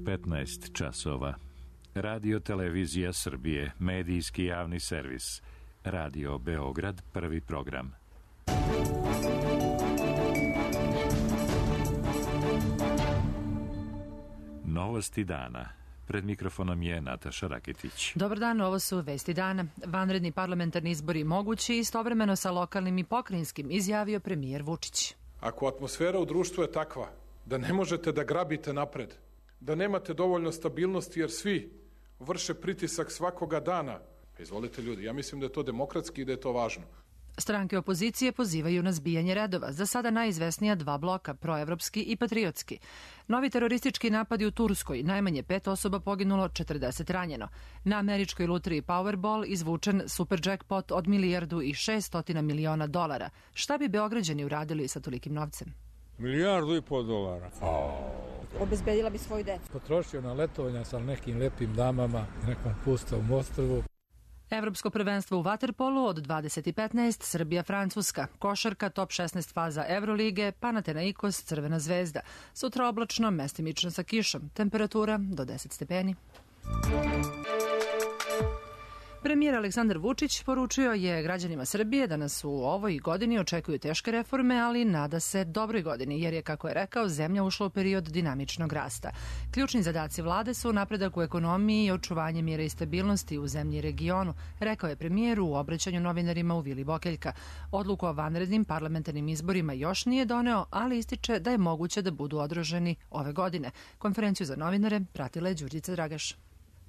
15 časova. Radio Televizija Srbije, medijski javni servis. Radio Beograd, prvi program. Novosti dana. Pred mikrofonom je Nataša Raketić. Dobar dan, ovo su vesti dana. Vanredni parlamentarni izbori mogući istovremeno sa lokalnim i pokrajinskim, izjavio premijer Vučić. Ako atmosfera u društvu je takva da ne možete da grabite napred, da nemate dovoljno stabilnosti jer svi vrše pritisak svakoga dana, pa izvolite ljudi, ja mislim da je to demokratski i da je to važno. Stranke opozicije pozivaju na zbijanje redova, za sada najizvesnija dva bloka, proevropski i patriotski. Novi teroristički napadi u Turskoj, najmanje 5 osoba poginulo, 40 ranjeno. Na američkoj lutriji Powerball izvučen super jackpot od $1,6 miliona. Šta bi Beograđani uradili sa tolikim novcem? $1,5 milijarda. Obezbedila bi svoju decu. Potrošio na letovanja sa nekim lepim damama, nekom pustom ostrvu. Evropsko prvenstvo u vaterpolu od 20:15, Srbija-Francuska, košarka, top 16 faza Evrolige, Panathinaikos, Crvena zvezda. Sutra oblačno, mestimično sa kišom, temperatura do 10 stepeni. Premijer Aleksandar Vučić poručio je građanima Srbije da nas u ovoj godini očekuju teške reforme, ali nada se dobroj godini, jer je, kako je rekao, zemlja ušla u period dinamičnog rasta. Ključni zadaci vlade su napredak u ekonomiji i očuvanje mira i stabilnosti u zemlji i regionu, rekao je premijer u obraćanju novinarima u Vili Bokeljka. Odluku o vanrednim parlamentarnim izborima još nije doneo, ali ističe da je moguće da budu održani ove godine. Konferenciju za novinare pratila je Đurđica Dragaš.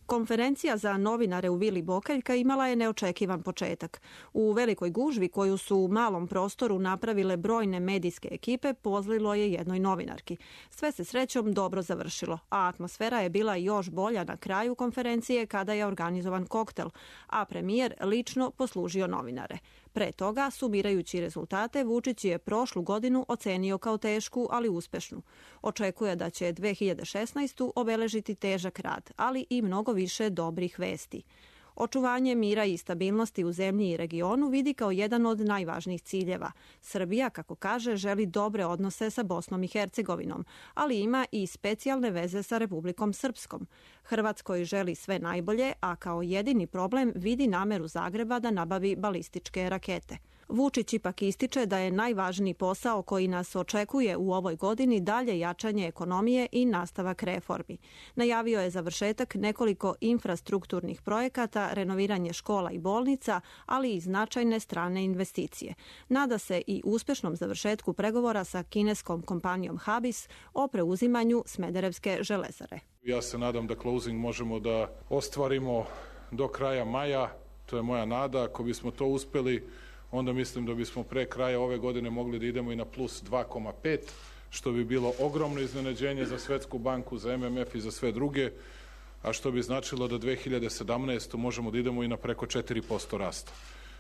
Konferencija za novinare u Vili Bokeljka imala je neočekivan početak. U velikoj gužvi koju su u malom prostoru napravile brojne medijske ekipe pozlilo je jednoj novinarki. Sve se srećom dobro završilo, a atmosfera je bila još bolja na kraju konferencije kada je organizovan koktel, a premijer lično poslužio novinare. Pre toga, sumirajući rezultate, Vučić je prošlu godinu ocenio kao tešku, ali uspešnu. Očekuje da će 2016. obeležiti težak rad, ali i mnogo više dobrih vesti. Očuvanje mira i stabilnosti u zemlji i regionu vidi kao jedan od najvažnijih ciljeva. Srbija, kako kaže, želi dobre odnose sa Bosnom i Hercegovinom, ali ima i specijalne veze sa Republikom Srpskom. Hrvatskoj želi sve najbolje, a kao jedini problem vidi nameru Zagreba da nabavi balističke rakete. Vučić ipak ističe da je najvažniji posao koji nas očekuje u ovoj godini dalje jačanje ekonomije i nastavak reformi. Najavio je završetak nekoliko infrastrukturnih projekata, renoviranje škola i bolnica, ali i značajne strane investicije. Nada se i uspešnom završetku pregovora sa kineskom kompanijom Habis o preuzimanju Smederevske železare. Ja se nadam da closing možemo da ostvarimo do kraja maja, to je moja nada. Ako bismo to uspeli, onda mislim da bismo pre kraja ove godine mogli da idemo i na plus 2,5, što bi bilo ogromno iznenađenje za Svetsku banku, za MMF i za sve druge, a što bi značilo da 2017. možemo da idemo i na preko 4% rasta.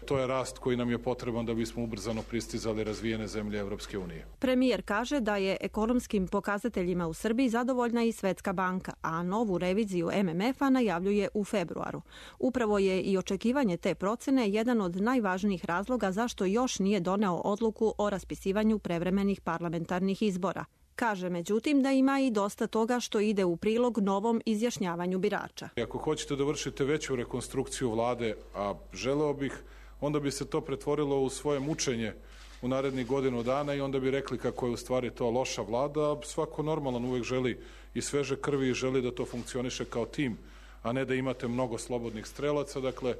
To je rast koji nam je potreban da bismo ubrzano pristizali razvijene zemlje Evropske unije. Premijer kaže da je ekonomskim pokazateljima u Srbiji zadovoljna i Svetska banka, a novu reviziju MMF-a najavljuje u februaru. Upravo je i očekivanje te procene jedan od najvažnijih razloga zašto još nije doneo odluku o raspisivanju prevremenih parlamentarnih izbora. Kaže, međutim, da ima i dosta toga što ide u prilog novom izjašnjavanju birača. Ako hoćete da vršite veću rekonstrukciju vlade, a želeo bih, onda bi se to pretvorilo u svoje mučenje u narednih godinu dana i onda bi rekli kako je u stvari to loša vlada, a svako normalan uvek želi i sveže krvi i želi da to funkcioniše kao tim, a ne da imate mnogo slobodnih strelaca. Dakle,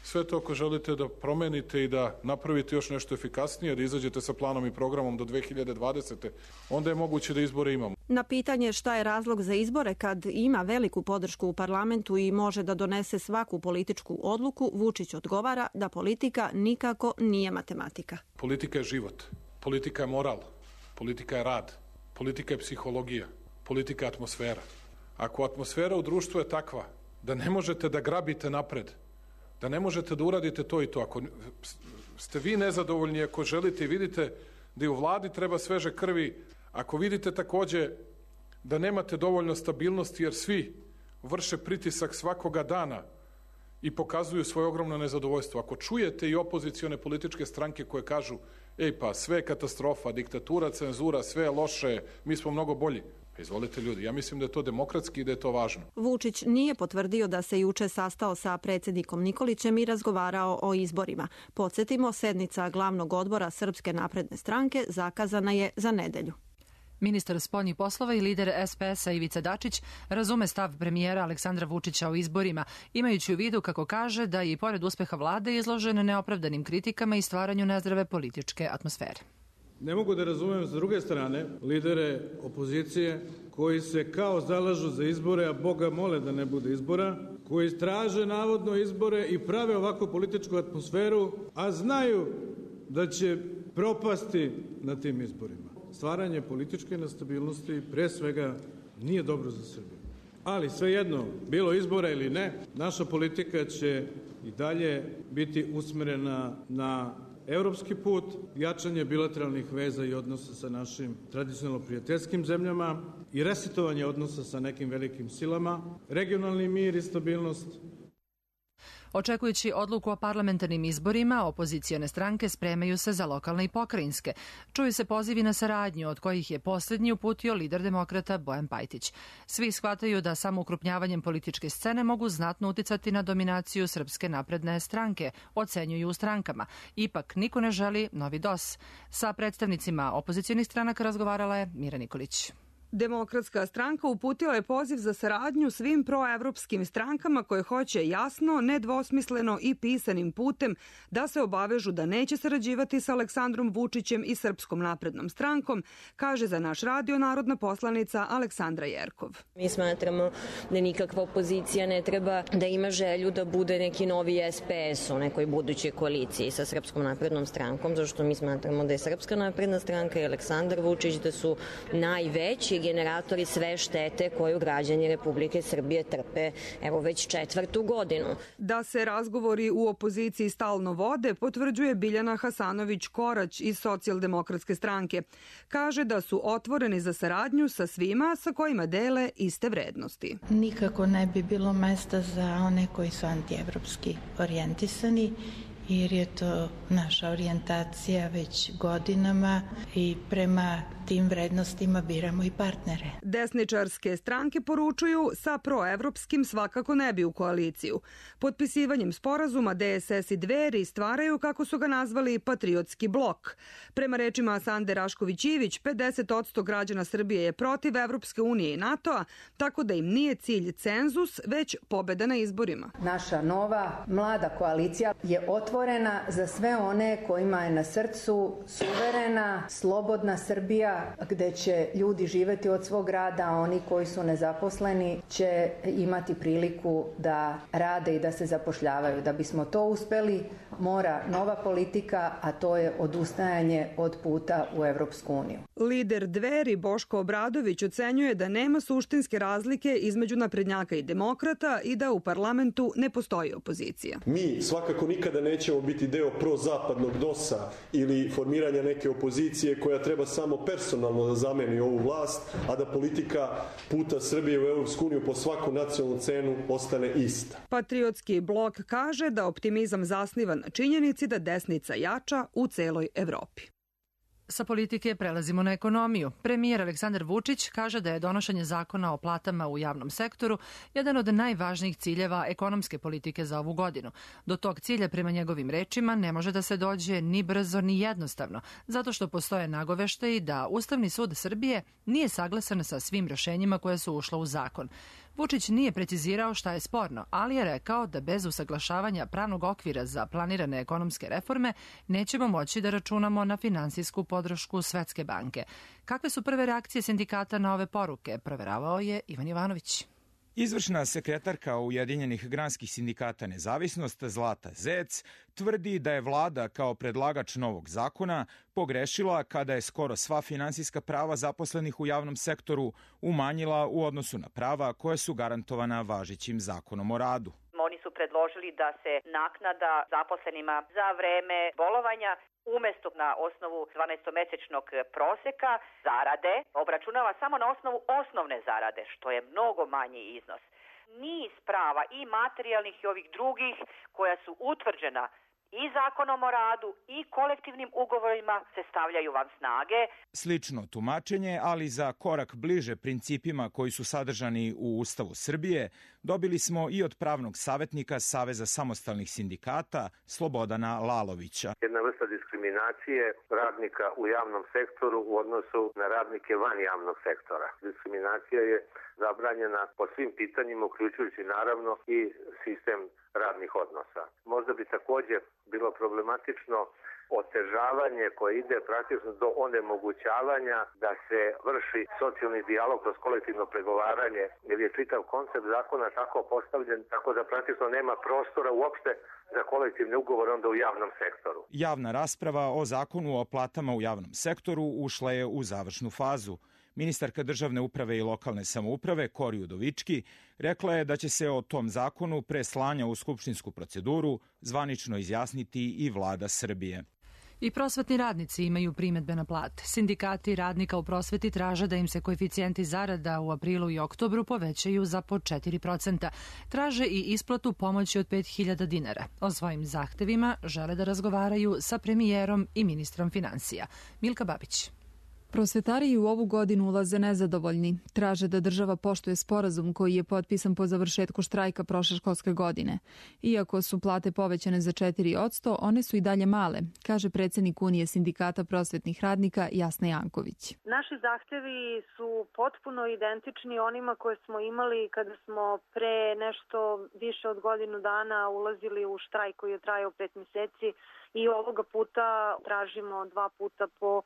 sve to ako želite da promenite i da napravite još nešto efikasnije, da izađete sa planom i programom do 2020. onda je moguće da izbore imamo. Na pitanje šta je razlog za izbore kad ima veliku podršku u parlamentu i može da donese svaku političku odluku, Vučić odgovara da politika nikako nije matematika. Politika je život, politika je moral, politika je rad, politika je psihologija, politika je atmosfera. Ako atmosfera u društvu je takva da ne možete da grabite napred, da ne možete da uradite to i to, ako ste vi nezadovoljni, ako želite i vidite da i u vladi treba sveže krvi, ako vidite takođe da nemate dovoljno stabilnosti jer svi vrše pritisak svakoga dana i pokazuju svoje ogromno nezadovoljstvo, ako čujete i opozicione političke stranke koje kažu ej pa sve je katastrofa, diktatura, cenzura, sve je loše, mi smo mnogo bolji, Izvolite ljudi, ja mislim da je to demokratski i da je to važno. Vučić nije potvrdio da se juče sastao sa predsjednikom Nikolićem i razgovarao o izborima. Podsjetimo, sednica glavnog odbora Srpske napredne stranke zakazana je za nedelju. Ministar spoljnih poslova i lider SPS-a Ivica Dačić razume stav premijera Aleksandra Vučića o izborima, imajući u vidu, kako kaže, da je i pored uspeha vlade izložen neopravdanim kritikama i stvaranju nezdrave političke atmosfere. Ne mogu da razumem s druge strane lidere opozicije koji se kao zalažu za izbore, a Boga mole da ne bude izbora, koji traže navodno izbore i prave ovakvu političku atmosferu, a znaju da će propasti na tim izborima. Stvaranje političke nestabilnosti pre svega nije dobro za Srbiju. Ali svejedno, bilo izbora ili ne, naša politika će i dalje biti usmerena na evropski put, jačanje bilateralnih veza i odnosa sa našim tradicionalno prijateljskim zemljama i resetovanje odnosa sa nekim velikim silama, regionalni mir i stabilnost. Očekujući odluku o parlamentarnim izborima, opozicione stranke spremaju se za lokalne i pokrajinske. Čuju se pozivi na saradnju, od kojih je posljednji uputio lider demokrata Bojan Pajtić. Svi shvataju da samo ukrupnjavanjem političke scene mogu znatno uticati na dominaciju Srpske napredne stranke, ocenjuju u strankama. Ipak, niko ne želi novi DOS. Sa predstavnicima opozicionih stranaka razgovarala je Mira Nikolić. Demokratska stranka uputila je poziv za saradnju svim proevropskim strankama koje hoće jasno, nedvosmisleno i pisanim putem da se obavežu da neće sarađivati sa Aleksandrom Vučićem i Srpskom naprednom strankom, kaže za naš radio narodna poslanica Aleksandra Jerkov. Mi smatramo da nikakva opozicija ne treba da ima želju da bude neki novi SPS u nekoj budućoj koaliciji sa Srpskom naprednom strankom, zašto mi smatramo da je Srpska napredna stranka i Aleksandar Vučić da su najveći generatori sve štete koju građani Republike Srbije trpe evo već 4. godinu. Da se razgovori u opoziciji stalno vode, potvrđuje Biljana Hasanović-Korać iz Socijaldemokratske stranke. Kaže da su otvoreni za saradnju sa svima sa kojima dele iste vrednosti. Nikako ne bi bilo mesta za one koji su antievropski orijentisani, jer je to naša orijentacija već godinama i prema tim vrednostima biramo i partnere. Desničarske stranke poručuju sa proevropskim svakako ne bi u koaliciju. Potpisivanjem sporazuma DSS i Dveri stvaraju, kako su ga nazvali, patriotski blok. Prema rečima Sande Rašković-Ivić, 50% građana Srbije je protiv Evropske unije i NATO-a, tako da im nije cilj cenzus, već pobeda na izborima. Naša nova mlada koalicija je otvorena za sve one kojima je na srcu suverena, slobodna Srbija, gde će ljudi živeti od svog rada, a oni koji su nezaposleni će imati priliku da rade i da se zapošljavaju. Da bismo to uspeli, mora nova politika, a to je odustajanje od puta u Evropsku uniju. Lider Dveri Boško Obradović ocenjuje da nema suštinske razlike između naprednjaka i demokrata i da u parlamentu ne postoji opozicija. Mi svakako nikada nećemo biti deo prozapadnog DOS-a ili formiranja neke opozicije koja treba samo personalno da zameni ovu vlast, a da politika puta Srbije u Evropsku uniju po svaku nacionalnu cenu ostane ista. Patriotski blok kaže da optimizam zasniva na činjenici da desnica jača u celoj Evropi. Sa politike prelazimo na ekonomiju. Premijer Aleksandar Vučić kaže da je donošenje zakona o platama u javnom sektoru jedan od najvažnijih ciljeva ekonomske politike za ovu godinu. Do tog cilja, prema njegovim rečima, ne može da se dođe ni brzo ni jednostavno, zato što postoje nagoveštaji da Ustavni sud Srbije nije saglasan sa svim rešenjima koje su ušla u zakon. Vučić nije precizirao šta je sporno, ali je rekao da bez usaglašavanja pravnog okvira za planirane ekonomske reforme nećemo moći da računamo na finansijsku podršku Svetske banke. Kakve su prve reakcije sindikata na ove poruke, proveravao je Ivan Jovanović. Izvršna sekretarka Ujedinjenih granskih sindikata Nezavisnost Zlata Zec tvrdi da je vlada kao predlagač novog zakona pogrešila kada je skoro sva finansijska prava zaposlenih u javnom sektoru umanjila u odnosu na prava koja su garantovana važećim zakonom o radu. Oni su predložili da se naknada zaposlenima za vreme bolovanja umesto na osnovu 12-mesečnog proseka zarade obračunava samo na osnovu osnovne zarade, što je mnogo manji iznos. Niz prava i materijalnih i ovih drugih koja su utvrđena i zakonom o radu i kolektivnim ugovorima se stavljaju van snage. Slično tumačenje, ali za korak bliže principima koji su sadržani u Ustavu Srbije, dobili smo i od pravnog savjetnika Saveza samostalnih sindikata Slobodana Lalovića. Jedna vrsta diskriminacije radnika u javnom sektoru u odnosu na radnike van javnog sektora. Diskriminacija je zabranjena po svim pitanjima, uključujući naravno i sistem radnih odnosa. Možda bi također bilo problematično otežavanje koje ide praktično do onemogućavanja da se vrši socijalni dijalog kroz kolektivno pregovaranje, jer je čitav koncept zakona tako postavljen tako da praktično nema prostora uopšte za kolektivni ugovor onda u javnom sektoru. Javna rasprava o zakonu o platama u javnom sektoru ušla je u završnu fazu. Ministarka državne uprave i lokalne samouprave Kori Udovički rekla je da će se o tom zakonu pre slanja u skupštinsku proceduru zvanično izjasniti i vlada Srbije. I prosvetni radnici imaju primedbe na plate. Sindikati radnika u prosveti traže da im se koeficijenti zarada u aprilu i oktobru povećaju za po 4%. Traže i isplatu pomoći od 5.000 dinara. O svojim zahtevima žele da razgovaraju sa premijerom i ministrom finansija. Milka Babić. Prosvetari u ovu godinu ulaze nezadovoljni. Traže da država poštuje sporazum koji je potpisan po završetku štrajka prošle školske godine. Iako su plate povećane za 4%, one su i dalje male, kaže predsjednik Unije sindikata prosvetnih radnika Jasna Janković. Naši zahtevi su potpuno identični onima koje smo imali kada smo pre nešto više od godinu dana ulazili u štrajk koji je trajao 5 mjeseci. I ovoga puta tražimo 2 puta po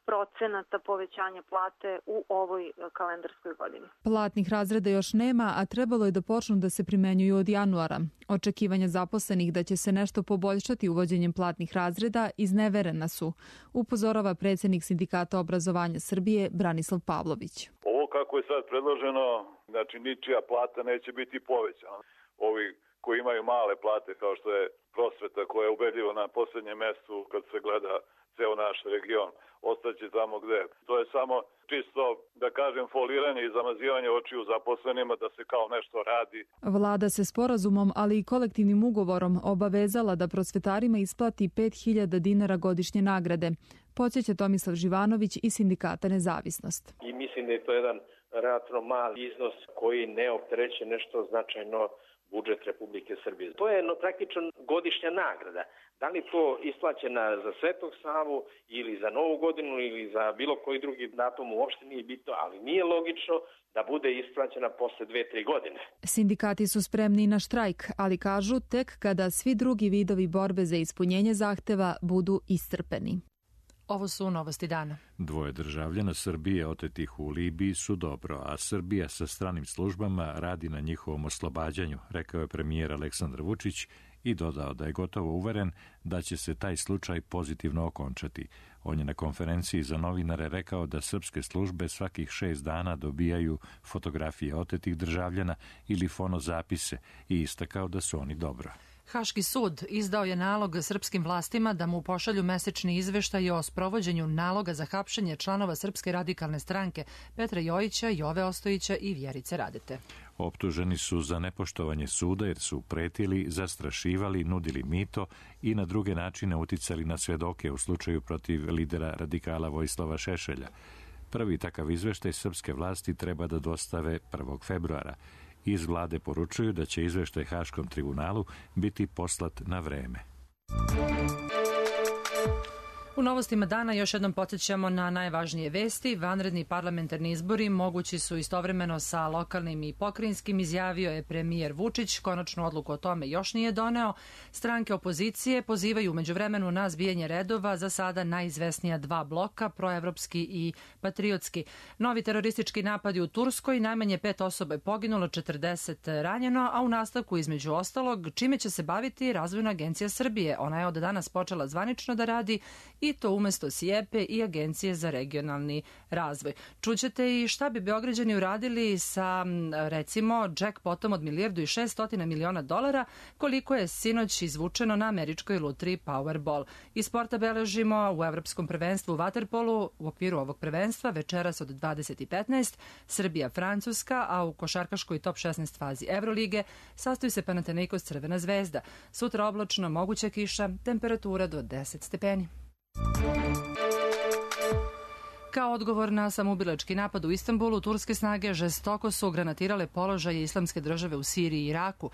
4% povećanja plate u ovoj kalendarskoj godini. Platnih razreda još nema, a trebalo je da počnu da se primenjuju od januara. Očekivanja zaposlenih da će se nešto poboljšati uvođenjem platnih razreda izneverena su, upozorava predsjednik sindikata obrazovanja Srbije Branislav Pavlović. Ovo kako je sad predloženo, znači ničija plata neće biti povećana. Ovi koji imaju male plate kao što je prosveta koja je ubedljivo na posljednjem mjestu kad se gleda ceo naš region, ostaće tamo gde. To je samo čisto, da kažem, foliranje i zamazivanje očiju zaposlenima da se kao nešto radi. Vlada se sporazumom, ali i kolektivnim ugovorom obavezala da prosvetarima isplati 5.000 dinara godišnje nagrade. Podsjeća Tomislav Živanović iz sindikata Nezavisnost. I mislim da je to jedan relativno mali iznos koji ne optereće nešto značajno budžet Republike Srbije. To je praktično godišnja nagrada. Da li to isplaćena za Svetog Savu ili za Novu godinu ili za bilo koji drugi datum uopšte nije bitno, ali nije logično da bude isplaćena posle 2-3 godine. Sindikati su spremni na štrajk, ali kažu tek kada svi drugi vidovi borbe za ispunjenje zahteva budu iscrpeni. Ovo su novosti dana. 2 državljana Srbije otetih u Libiji su dobro, a Srbija sa stranim službama radi na njihovom oslobađanju, rekao je premijer Aleksandar Vučić i dodao da je gotovo uveren da će se taj slučaj pozitivno okončati. On je na konferenciji za novinare rekao da srpske službe svakih 6 dana dobijaju fotografije otetih državljana ili fonozapise i istakao da su oni dobro. Haški sud izdao je nalog srpskim vlastima da mu pošalju mesečni izveštaj o sprovođenju naloga za hapšenje članova Srpske radikalne stranke Petra Jojića, Jove Ostojića i Vjerice Radete. Optuženi su za nepoštovanje suda jer su pretili, zastrašivali, nudili mito i na druge načine uticali na svedoke u slučaju protiv lidera radikala Vojislava Šešelja. Prvi takav izveštaj srpske vlasti treba da dostave 1. februara. Iz vlade poručuju da će izveštaj Haškom tribunalu biti poslat na vreme. U novostima dana još jednom podsjećamo na najvažnije vesti. Vanredni parlamentarni izbori mogući su istovremeno sa lokalnim i pokrajinskim, izjavio je premijer Vučić. Konačnu odluku o tome još nije doneo. Stranke opozicije pozivaju međuvremenu na zbijanje redova za sada najizvesnija 2 bloka, proevropski i patriotski. Novi teroristički napadi u Turskoj, najmanje 5 osoba je poginulo, 40 ranjeno, a u nastavku između ostalog čime će se baviti Razvojna agencija Srbije. Ona je od danas počela zvanično da radi i i to umesto SIEPE i Agencije za regionalni razvoj. Čućete i šta bi Beograđani uradili sa, recimo, jackpotom od $1.600.000.000, koliko je sinoć izvučeno na američkoj lutriji Powerball. Iz sporta beležimo u Evropskom prvenstvu u vaterpolu u okviru ovog prvenstva večeras od 20:15 Srbija-Francuska, a u košarkaškoj top 16 fazi Evrolige sastoji se Panathinaikos Crvena zvezda. Sutra oblačno, moguća kiša, temperatura do 10 stepeni. Kao odgovor na samoubilački napad u Istanbulu, turske snage žestoko su granatirale položaje Islamske države u Siriji i Iraku.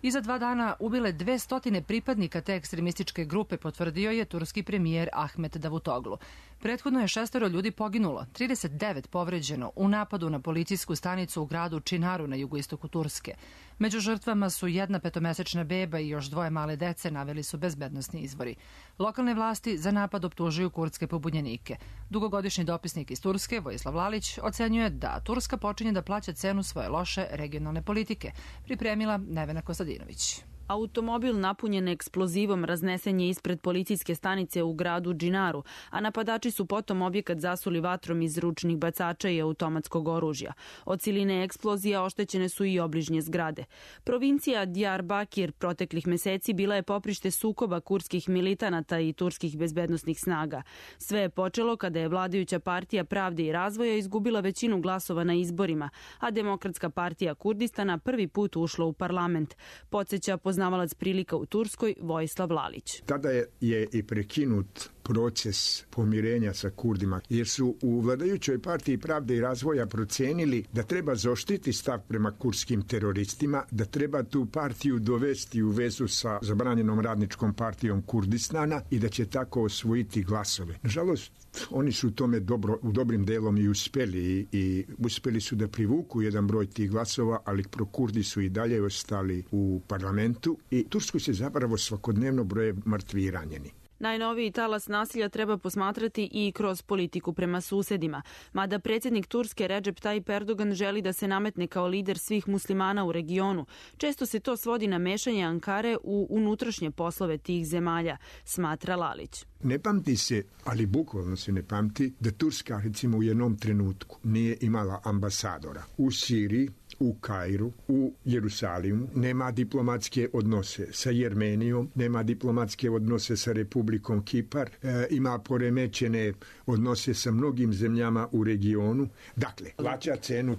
I za 2 dana ubile 200 pripadnika te ekstremističke grupe, potvrdio je turski premijer Ahmet Davutoglu. Prethodno je 6 ljudi poginulo, 39 povređeno u napadu na policijsku stanicu u gradu Činaru na jugoistoku Turske. Među žrtvama su 1 5-mesečna beba i još 2 male dece, naveli su bezbednosni izvori. Lokalne vlasti za napad optužuju kurdske pobunjenike. Dugogodišnji dopisnik iz Turske, Vojislav Lalić, ocenjuje da Turska počinje da plaća cenu svoje loše regionalne politike. Pripremila Nevena Kostadinović. Automobil napunjen eksplozivom raznesen je ispred policijske stanice u gradu Džinaru, a napadači su potom objekat zasuli vatrom iz ručnih bacača i automatskog oružja. Od siline eksplozija oštećene su i obližnje zgrade. Provincija Diyarbakir proteklih meseci bila je poprište sukoba kurdskih militanata i turskih bezbednosnih snaga. Sve je počelo kada je vladajuća partija Pravde i razvoja izgubila većinu glasova na izborima, a Demokratska partija Kurdistana prvi put ušla u parlament. Podsjeća poznavalac prilika u Turskoj Vojislav Lalić. Tada je i prekinut proces pomirenja sa Kurdima, jer su u vladajućoj partiji Pravde i razvoja procenili da treba zaoštriti stav prema kurdskim teroristima, da treba tu partiju dovesti u vezu sa zabranjenom radničkom partijom Kurdistana i da će tako osvojiti glasove. Nažalost, oni su u tome u dobrim delom i uspeli i uspeli su da privuku jedan broj tih glasova, ali prokurdi su i dalje ostali u parlamentu i Tursku se zapravo svakodnevno broje mrtvi i ranjeni. Najnoviji talas nasilja treba posmatrati i kroz politiku prema susedima. Mada predsjednik Turske Recep Tayyip Erdogan želi da se nametne kao lider svih muslimana u regionu, često se to svodi na mešanje Ankare u unutrašnje poslove tih zemalja, smatra Lalić. Ne pamti se, ali bukvalno se ne pamti, da Turska recimo u jednom trenutku nije imala ambasadora u Siriji, u Kairu, u Jerusalimu, nema diplomatske odnose sa Jermenijom, nema diplomatske odnose sa Republikom Kipar, ima poremećene odnose sa mnogim zemljama u regionu. Dakle, plaća cenu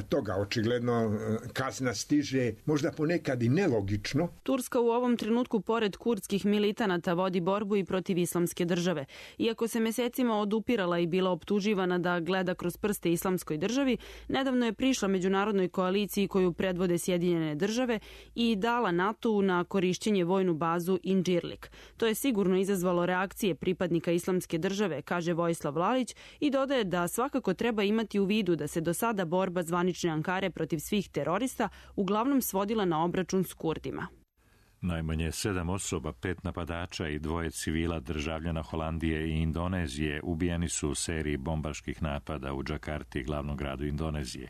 toga, očigledno kazna stiže, možda ponekad i nelogično. Turska u ovom trenutku pored kurdskih militanata vodi borbu i protiv Islamske države. Iako se mesecima odupirala i bila optuživana da gleda kroz prste Islamskoj državi, nedavno je prišla međunarodnoj koaliciji koju predvode Sjedinjene države i dala NATO na korišćenje vojnu bazu Incirlik. To je sigurno izazvalo reakcije pripadnika Islamske države, kaže Vojislav Lalić, i dodaje da svakako treba imati u vidu da se do sada borba zvanične Ankare protiv svih terorista uglavnom svodila na obračun s Kurdima. Najmanje 7 osoba, 5 napadača i 2 civila državljana Holandije i Indonezije ubijeni su u seriji bombaških napada u Džakarti, glavnom gradu Indonezije.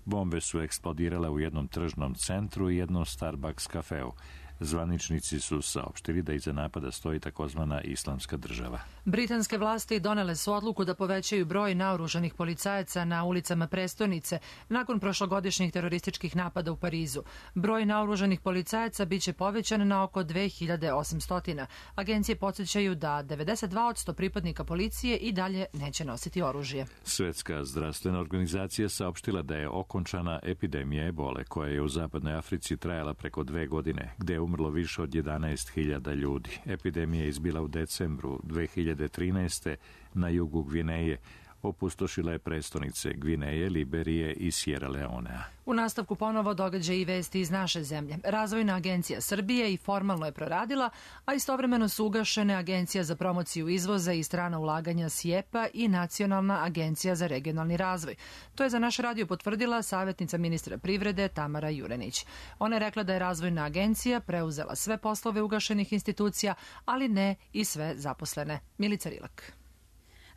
Bombe su eksplodirale u jednom tržnom centru i jednom Starbucks kafeu. Zvaničnici su saopštili da iza napada stoji takozvana Islamska država. Britanske vlasti donele su odluku da povećaju broj naoružanih policajaca na ulicama prestonice nakon prošlogodišnjih terorističkih napada u Parizu. Broj naoružanih policajaca biće povećan na oko 2800. Agencije podsjećaju da 92% pripadnika policije i dalje neće nositi oružje. Svetska zdravstvena organizacija saopštila da je okončana epidemija ebole koja je u zapadnoj Africi trajala preko 2 godine, gde je umrlo više od 11.000 ljudi. Epidemija je izbila u decembru 2013. na jugu Gvineje. Opustošila je prestonice Gvineje, Liberije i Sierra Leonea. U nastavku ponovo događaj i vesti iz naše zemlje. Razvojna agencija Srbije i formalno je proradila, a istovremeno su ugašene Agencija za promociju izvoza i strana ulaganja SIEPA i Nacionalna agencija za regionalni razvoj. To je za naš radio potvrdila savjetnica ministra privrede Tamara Jurenić. Ona je rekla da je Razvojna agencija preuzela sve poslove ugašenih institucija, ali ne i sve zaposlene. Milica Rilak.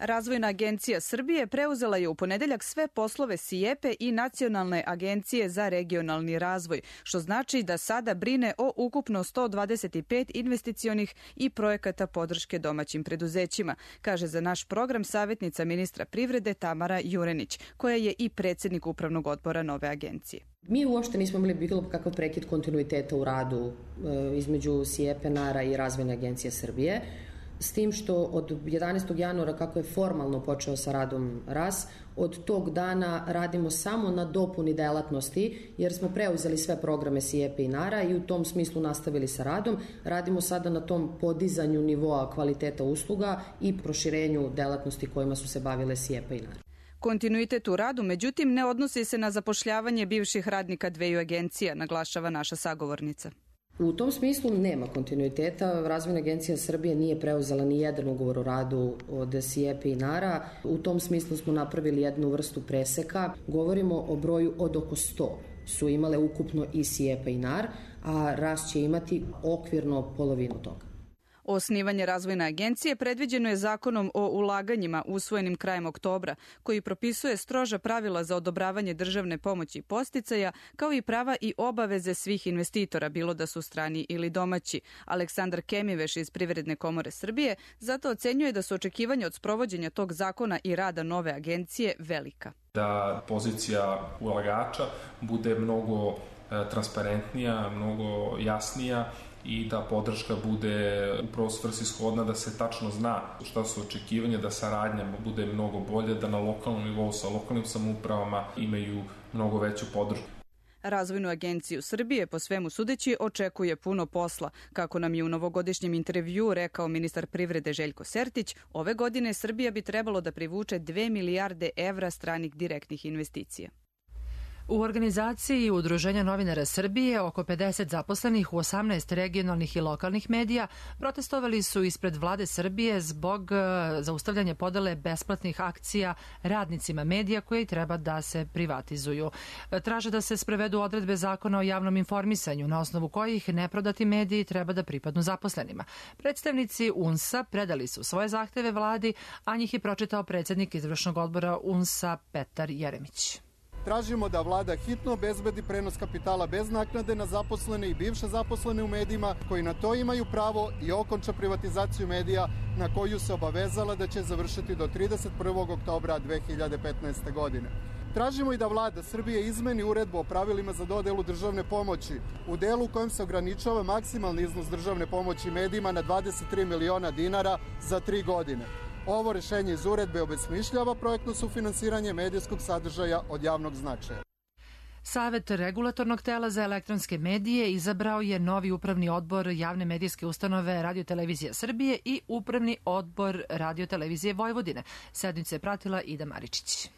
Razvojna agencija Srbije preuzela je u ponedeljak sve poslove SIEPE i Nacionalne agencije za regionalni razvoj, što znači da sada brine o ukupno 125 investicionih i projekata podrške domaćim preduzećima, kaže za naš program savjetnica ministra privrede Tamara Jurenić, koja je i predsjednik upravnog odbora nove agencije. Mi uopšte nismo imali bilo kakav prekid kontinuiteta u radu između SIEPE, NARA i Razvojne agencije Srbije, s tim što od 11. januara, kako je formalno počeo sa radom RAS, od tog dana radimo samo na dopuni delatnosti, jer smo preuzeli sve programe SIEPE i NARA i u tom smislu nastavili sa radom. Radimo sada na tom podizanju nivoa kvaliteta usluga i proširenju delatnosti kojima su se bavile SIEPE i NARA. Kontinuitet u radu, međutim, ne odnosi se na zapošljavanje bivših radnika dveju agencija, naglašava naša sagovornica. U tom smislu nema kontinuiteta. Razvojna agencija Srbije nije preuzela ni jedan ugovor o radu od SIEPE i NARA. U tom smislu smo napravili jednu vrstu preseka. Govorimo o broju od oko 100 su imale ukupno i SIEPE i NAR, a RAS će imati okvirno polovinu toga. Osnivanje Razvojne agencije predviđeno je zakonom o ulaganjima usvojenim krajem oktobra, koji propisuje stroža pravila za odobravanje državne pomoći i podsticaja, kao i prava i obaveze svih investitora, bilo da su strani ili domaći. Aleksandar Kemiveš iz Privredne komore Srbije zato ocenjuje da su očekivanja od sprovođenja tog zakona i rada nove agencije velika. Da pozicija ulagača bude mnogo transparentnija, mnogo jasnija, i da podrška bude upravo svrsishodna, da se tačno zna šta su očekivanja, da saradnja bude mnogo bolje, da na lokalnom nivou sa lokalnim samoupravama imaju mnogo veću podršku. Razvojnu agenciju Srbije, po svemu sudeći, očekuje puno posla. Kako nam je u novogodišnjem intervjuu rekao ministar privrede Željko Sertić, ove godine Srbija bi trebalo da privuče 2 milijarde evra stranih direktnih investicija. U organizaciji Udruženja novinara Srbije oko 50 zaposlenih u 18 regionalnih i lokalnih medija protestovali su ispred vlade Srbije zbog zaustavljanja podele besplatnih akcija radnicima medija koji treba da se privatizuju. Traže da se sprevedu odredbe zakona o javnom informisanju na osnovu kojih neprodati mediji treba da pripadnu zaposlenima. Predstavnici UNS-a predali su svoje zahteve vladi, a njih je pročitao predsjednik izvršnog odbora UNS-a Petar Jeremić. Tražimo da vlada hitno obezbedi prenos kapitala bez naknade na zaposlene i bivše zaposlene u medijima koji na to imaju pravo i okonča privatizaciju medija na koju se obavezala da će završiti do 31. oktobra 2015. godine. Tražimo i da vlada Srbije izmeni uredbu o pravilima za dodelu državne pomoći u delu u kojem se ograničava maksimalni iznos državne pomoći medijima na 23 miliona dinara za 3 godine. Ovo rešenje iz uredbe obesmišljava projektno sufinansiranje medijskog sadržaja od javnog značaja. Savet regulatornog tela za elektronske medije izabrao je novi upravni odbor javne medijske ustanove Radio-televizija Srbije i upravni odbor Radio-televizije Vojvodine. Sednicu je pratila Ida Maričić.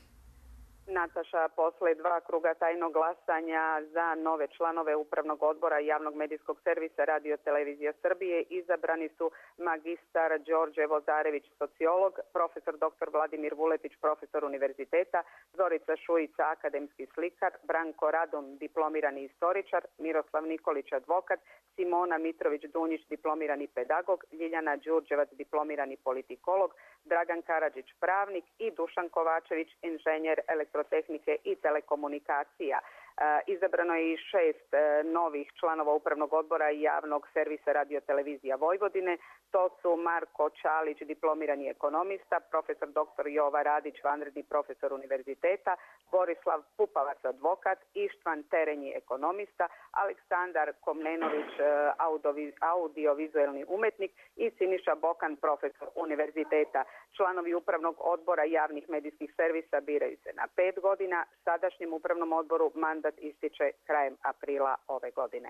Nataša, posle 2 kruga tajnog glasanja za nove članove Upravnog odbora javnog medijskog servisa Radio-televizija Srbije izabrani su magistar Đorđe Vozarević, sociolog, profesor dr. Vladimir Vuletić, profesor univerziteta, Zorica Šujica, akademski slikar, Branko Radon, diplomirani istoričar, Miroslav Nikolić, advokat, Simona Mitrović-Dunjić, diplomirani pedagog, Ljiljana Đurđevac, diplomirani politikolog, Dragan Karadžić, pravnik i Dušan Kovačević, inženjer elektrotehnike i telekomunikacija. Izabrano je i 6 novih članova Upravnog odbora javnog servisa Radio-televizija Vojvodine. To su Marko Čalić, diplomirani ekonomista, profesor dr. Jova Radić, vanredni profesor univerziteta, Borislav Pupavac, advokat, Ištvan Terenji, ekonomista, Aleksandar Komnenović, audiovizuelni umetnik i Siniša Bokan, profesor univerziteta. Članovi Upravnog odbora javnih medijskih servisa biraju se na 5 godina. Sadašnjem Upravnom odboru mandat ističe krajem aprila ove godine.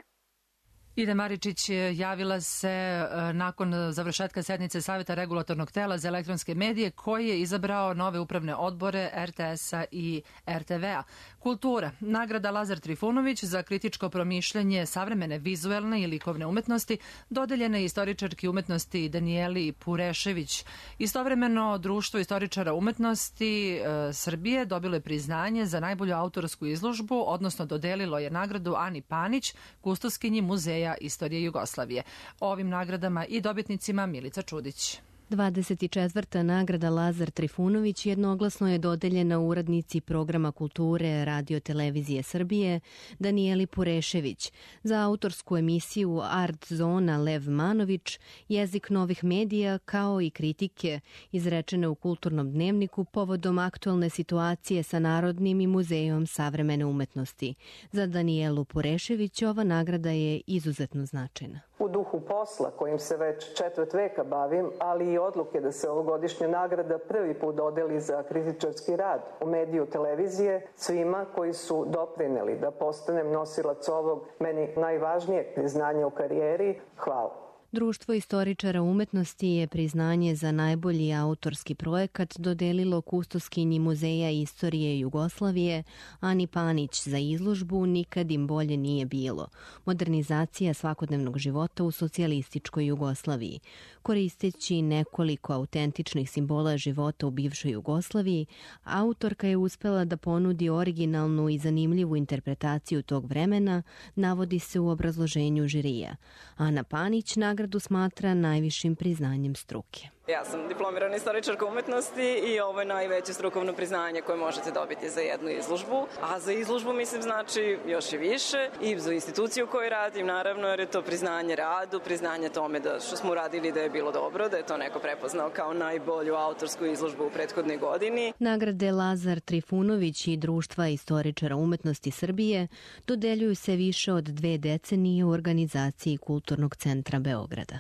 Ida Maričić javila se nakon završetka sednice Saveta regulatornog tela za elektronske medije koji je izabrao nove upravne odbore RTS-a i RTV-a. Kultura. Nagrada Lazar Trifunović za kritičko promišljanje savremene vizuelne i likovne umetnosti dodeljena je istoričarki umetnosti Danijeli Purešević. Istovremeno, Društvo istoričara umetnosti Srbije dobilo je priznanje za najbolju autorsku izložbu, odnosno dodelilo je nagradu Ani Panić, kustoskinji Muzeja istorije Jugoslavije. O ovim nagradama i dobitnicima Milica Čudić. 24. nagrada Lazar Trifunović jednoglasno je dodeljena uradnici programa kulture Radio Televizije Srbije Danijeli Purešević za autorsku emisiju Art Zona Lev Manović, jezik novih medija kao i kritike izrečene u Kulturnom dnevniku povodom aktualne situacije sa Narodnim i Muzejom savremene umetnosti. Za Danijelu Purešević ova nagrada je izuzetno značajna. U duhu posla kojim se već četvrt veka bavim, ali i odluke da se ovogodišnja nagrada prvi put dodeli za kritičarski rad u mediju televizije svima koji su doprineli da postanem nosilac ovog meni najvažnijeg priznanja u karijeri, hvala. Društvo istoričara umetnosti je priznanje za najbolji autorski projekat dodelilo kustoskinji Muzeja istorije Jugoslavije Ani Panić za izložbu Nikad im bolje nije bilo. Modernizacija svakodnevnog života u socijalističkoj Jugoslaviji. Koristeći nekoliko autentičnih simbola života u bivšoj Jugoslaviji, autorka je uspela da ponudi originalnu i zanimljivu interpretaciju tog vremena, navodi se u obrazloženju žirija. Ana Panić nagradu smatra najvišim priznanjem struke. Ja sam diplomirana istoričarka umetnosti i ovo je najveće strukovno priznanje koje možete dobiti za jednu izložbu. A za izložbu, mislim, znači još i više. I za instituciju koju radim, naravno, jer je to priznanje radu, priznanje tome da što smo uradili da je bilo dobro, da je to neko prepoznao kao najbolju autorsku izložbu u prethodnoj godini. Nagrade Lazar Trifunović i Društva istoričara umetnosti Srbije dodeljuju se više od 2 decenije u organizaciji Kulturnog centra Beograda.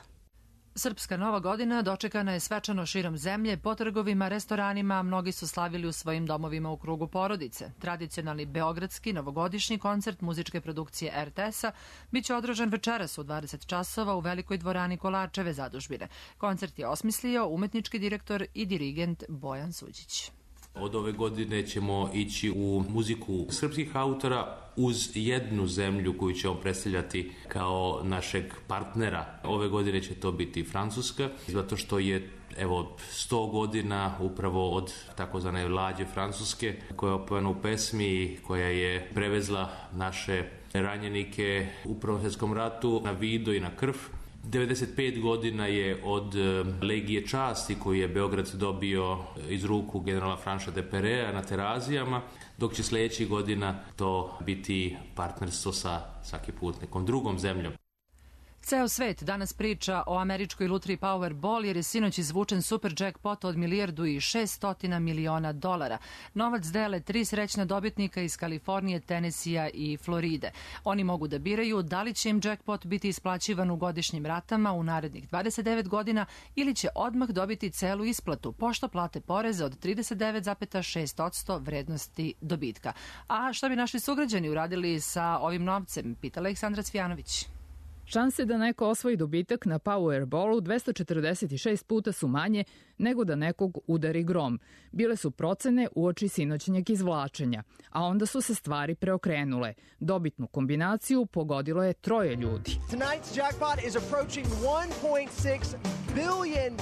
Srpska Nova godina dočekana je svečano širom zemlje, po trgovima, restoranima, a mnogi su slavili u svojim domovima u krugu porodice. Tradicionalni beogradski novogodišnji koncert muzičke produkcije RTS-a biće održan večeras u 20 časova u velikoj dvorani Kolarčeve zadužbine. Koncert je osmislio umetnički direktor i dirigent Bojan Suđić. Od ove godine ćemo ići u muziku srpskih autora uz jednu zemlju koju ćemo predstavljati kao našeg partnera. Ove godine će to biti Francuska, zato što je 100 godina upravo od takozvane Lađe Francuske, koja je opevana u pesmi, koja je prevezla naše ranjenike u Prvom svjetskom ratu na Vido i na krv. 95 godina je od Legije časti koju je Beograd dobio iz ruku generala Franša de Perea na Terazijama, dok će sljedećih godina to biti partnerstvo sa svaki put nekom drugom zemljom. Ceo svet danas priča o američkoj lutriji Powerball jer je sinoć izvučen super jackpot od $1.6 milijardi. Novac dele 3 srećna dobitnika iz Kalifornije, Tenesija i Floride. Oni mogu da biraju da li će im jackpot biti isplaćivan u godišnjim ratama u narednih 29 godina ili će odmah dobiti celu isplatu, pošto plate poreze od 39,6% vrednosti dobitka. A šta bi naši sugrađani uradili sa ovim novcem, pita Aleksandra Cvjanović. Šanse da neko osvoji dobitak na Powerballu 246 puta su manje nego da nekog udari grom. Bile su procene uoči sinoćnjeg izvlačenja, a onda su se stvari preokrenule. Dobitnu kombinaciju pogodilo je 3 ljudi. Tonight's jackpot is approaching $1.6 billion.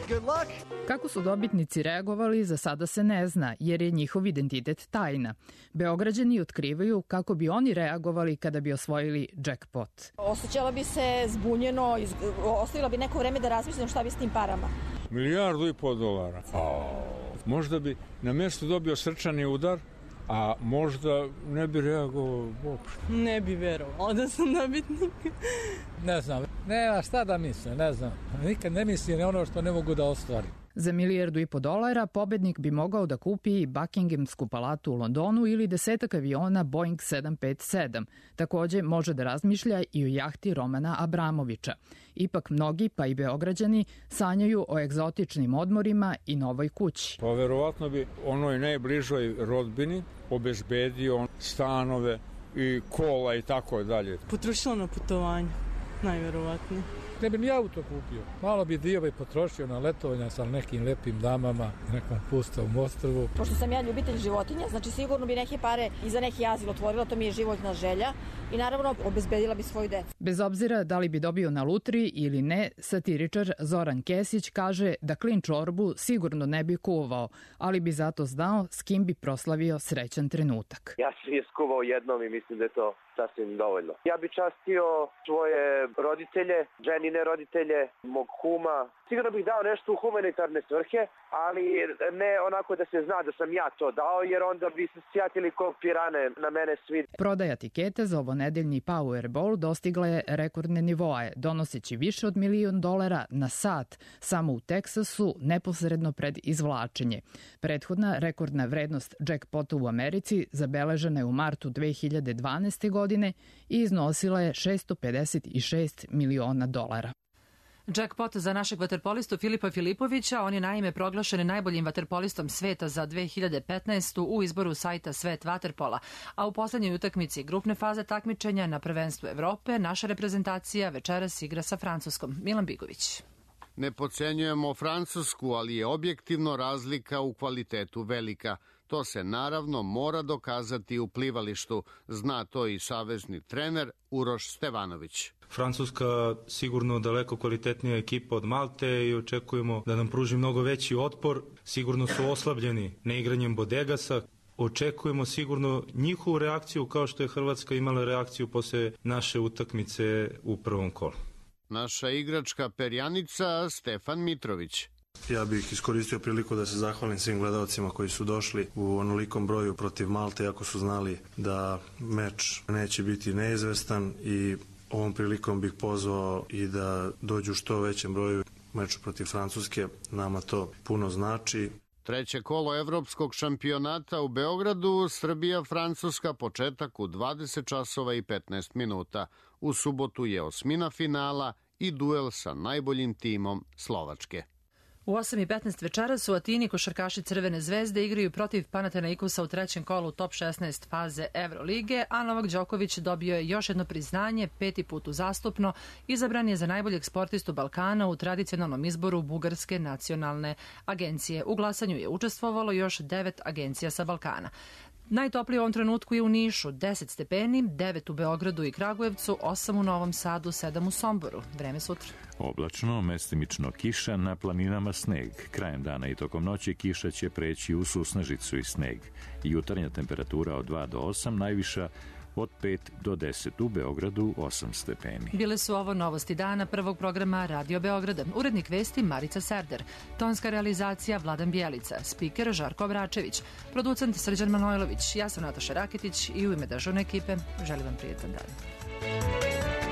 Good luck. Kako su dobitnici reagovali, za sada se ne zna, jer je njihov identitet tajna. Beograđani otkrivaju kako bi oni reagovali kada bi osvojili jackpot. Osjećala bi se zbunjeno, ostavila bi neko vreme da razmislim šta bi s tim parama. $1,5 milijardi. Možda bi na mjestu dobio srčani udar, a možda ne bi reagovao uopšte. Ne bi verovao da sam dobitnik. Ne znam, nema šta da mislim, ne znam. Nikad ne mislim na ono što ne mogu da ostvarim. Za $1,5 milijardi pobednik bi mogao da kupi i Buckinghamsku palatu u Londonu ili 10 aviona Boeing 757. Takođe može da razmišlja i o jahti Romana Abramovića. Ipak mnogi, pa i Beograđani, sanjaju o egzotičnim odmorima i novoj kući. Pa verovatno bi onoj najbližoj rodbini obezbedio stanove i kola i tako dalje. Potrošila na putovanje, najverovatnije. Ne bi ni auto kupio. Malo bi dio potrošio na letovanja sa nekim lepim damama i nekom pustom ostrvu. Pošto sam ja ljubitelj životinja, znači sigurno bi neke pare i za neki azil otvorila, to mi je životna želja i naravno obezbedila bi svoju decu. Bez obzira da li bi dobio na lutriji ili ne, satiričar Zoran Kesić kaže da klin čorbu sigurno ne bi kuvao, ali bi zato znao s kim bi proslavio srećan trenutak. Ja sam je skuvao jednom i mislim da je to sasvim dovoljno. Ja bi častio svoje roditelje, ženine roditelje, mog kuma. Sigurno bih dao nešto u humanitarne svrhe, ali ne onako da se zna da sam ja to dao, jer onda bi se sjatili ko pirane na mene svi. Prodaja tikete za ovonedeljni Powerball dostigla je rekordne nivoe, donoseći više od $1 milion na sat samo u Teksasu neposredno pred izvlačenje. Prethodna rekordna vrednost jackpota u Americi zabeležena je u martu 2012. godine i iznosila je $656 miliona. Jackpot za našeg vaterpolistu Filipa Filipovića, on je naime proglašen najboljim vaterpolistom sveta za 2015. u izboru sajta Svet vaterpola, a u poslednjoj utakmici grupne faze takmičenja na prvenstvu Evrope naša reprezentacija večeras igra sa Francuskom. Milan Bigović. Ne podcenjujemo Francusku, ali je objektivno razlika u kvalitetu velika. To se naravno mora dokazati u plivalištu, zna to i savezni trener Uroš Stevanović. Francuska sigurno daleko kvalitetnija ekipa od Malte i očekujemo da nam pruži mnogo veći otpor. Sigurno su oslabljeni neigranjem Bodegasa. Očekujemo sigurno njihovu reakciju kao što je Hrvatska imala reakciju posle naše utakmice u prvom kolu. Naša igračka perjanica Stefan Mitrović. Ja bih iskoristio priliku da se zahvalim svim gledalcima koji su došli u onolikom broju protiv Malte, ako su znali da meč neće biti neizvestan, i ovom prilikom bih pozvao i da dođu što većem broju meču protiv Francuske. Nama to puno znači. Treće kolo evropskog šampionata u Beogradu, Srbija-Francuska, početak u 20 časova i 15 minuta. U subotu je osmina finala i duel sa najboljim timom Slovačke. U 8:15 večeras u Atini košarkaši Crvene zvezde igraju protiv Panathinaikosa u trećem kolu top 16 faze Evrolige, a Novak Đoković dobio je još jedno priznanje, 5. put uzastopno, izabran je za najboljeg sportistu Balkana u tradicionalnom izboru Bugarske nacionalne agencije. U glasanju je učestvovalo još 9 agencija sa Balkana. Najtoplije u ovom trenutku je u Nišu, 10 stepeni, 9 u Beogradu i Kragujevcu, 8 u Novom Sadu, 7 u Somboru. Vreme sutra. Oblačno, mestimično kiša, na planinama sneg. Krajem dana i tokom noći kiša će preći u susnežicu i sneg. Jutarnja temperatura od 2 do 8, najviša od 5 do 10, u Beogradu 8 stepeni. Bile su ovo novosti dana prvog programa Radio Beograda. Urednik vesti Marica Serder, tonska realizacija Vladan Bjelica, spiker Žarko Vračević, producent Srđan Manojlović, ja sam Nataša Rakitić i u ime državne ekipe želim vam prijetan dan.